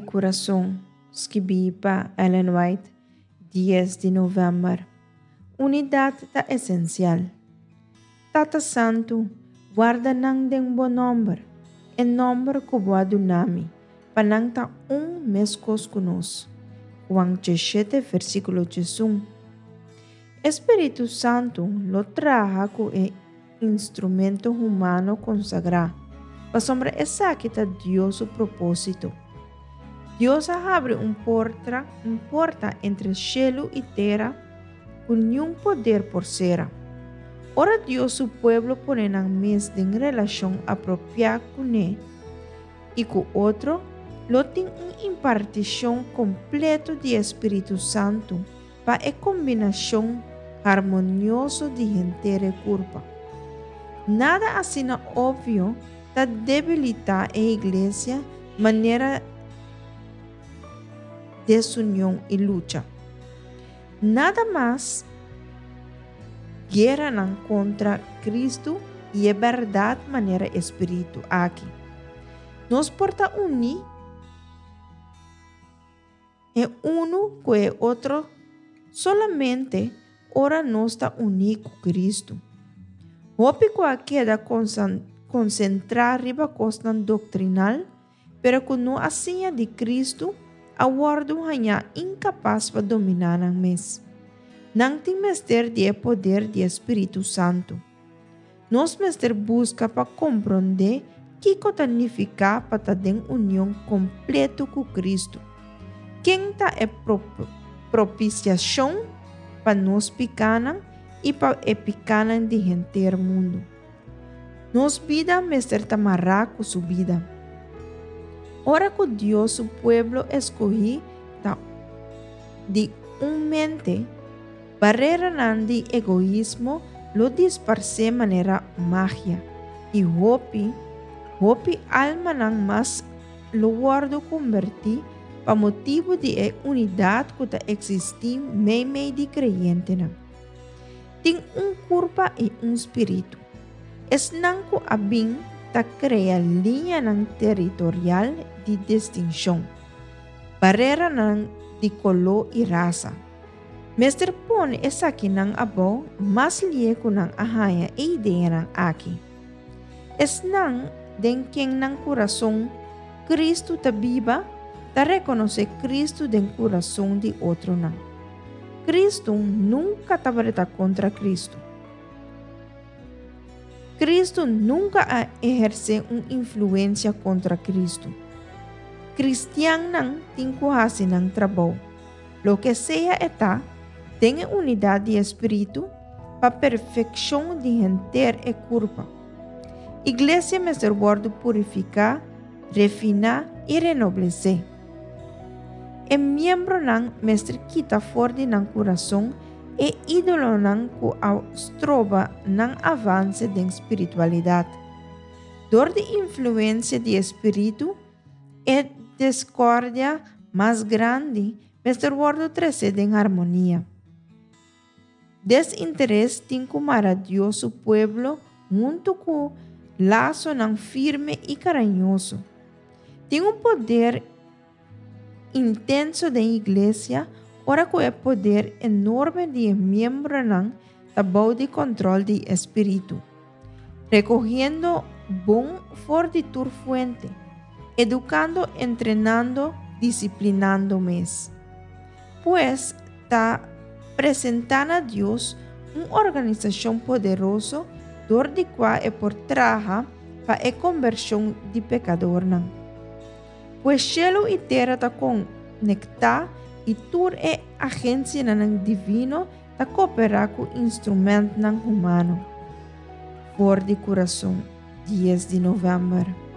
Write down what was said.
Kurason, skibí pa Ellen White, dies di novèmber. Unidat ta esensial. Tata Santu, warda nan den bo nòmber, e nòmber ku bo a duna mi, pa nan ta un meskos ku nos. Juan djeshete versíkulo djesun. E spiritu santu lo traha ku e instrumento humano konsagrá, pasobra esaki ta Dios su propósito. Dios a habri un portra, un porta entre shelu i tera ku niun poder por sera. Ora Dios su pueblo pone nan mes den relashon apropiá kuné i ku otro, lo tin un impartishon kompleto di e Spiritu Santu pa e kombinashon harmonioso di henter e kurpa. Nada asina opvio ta debilitá e iglesia manera desunion i lucha. Nada mas gueranan kontra Kristu i e bèrdat manera e spiritu aki. Nos por ta uní E unu ku e otro solamente ora nos ta uní ku Kristu. Hopi ku a keda konsentrá riba kosnan doktrinal, pero ku no a siña di Kristu, a wòrdu hañá inkapas pa dominá nan mes. Nan tin mester di e poder di e Spiritu Santu. Nos mester buska pa komprondé kiko ta nifiká pa ta den union kompleto ku Kristu. Ken ta e propisiashon pa nos pikánan i pa e pikánan di henter mundu? Nos bida mester ta mará ku su bida. Ora ku Dios su pueblo eskohí ta di un mente, Bareranan di egoismo lo disparsé manera magia, i hopi, hopi almanan mas lo wòrdu kombertí pa motibu di e unidat ku ta eksistí meimei di kreyentenan. Tin un kurpa i un spiritu. Esnan ku a bin ta krea liñanan teritorial di distinshon, bareranan di koló i rasa. Mester pone esakinan abou mas lie ku nan a haña e ideanan aki. Esnan den ken nan kurason Kristu ta biba ta rekonosé Kristu den kurason di otronan. Kristu nunka tabata kontra Kristu. Kristu nunka a ehersé un influensia kontra Kristu. Kristiannan tin ku hasi nan trabou. Loke sea e ta, den e unidat di e Spiritu, pa perfekshon di henter e kurpa. Iglesia mester wòrdu purifiká, refiná i renoblesé. E miembronan mester kita for di nan kurason e ídolonan ku a stroba nan avanse den spiritualidat. Dor di influensia di e Spiritu, E discordia mas grandi mester wordo trece den harmonia. Desinteres tin cu mara Dios su pueblo hunto cu lasonan firme y carañoso. Tin un poder intenso den iglesia ora cu e poder enorme di e miembronan ta bou di control di e Spiritu. Recogiendo bon for di tur fuente, educando, entrenando, disciplinando mes. Pues ta presenta na Dios un organisacion poderoso dor di cua e por traha pa e conversion di pecadornan. Pues cielo y tera ta conecta y tur e agencianan divino Ta kooperá ku instrumentnan humano. For di kurason, dies di novèmber.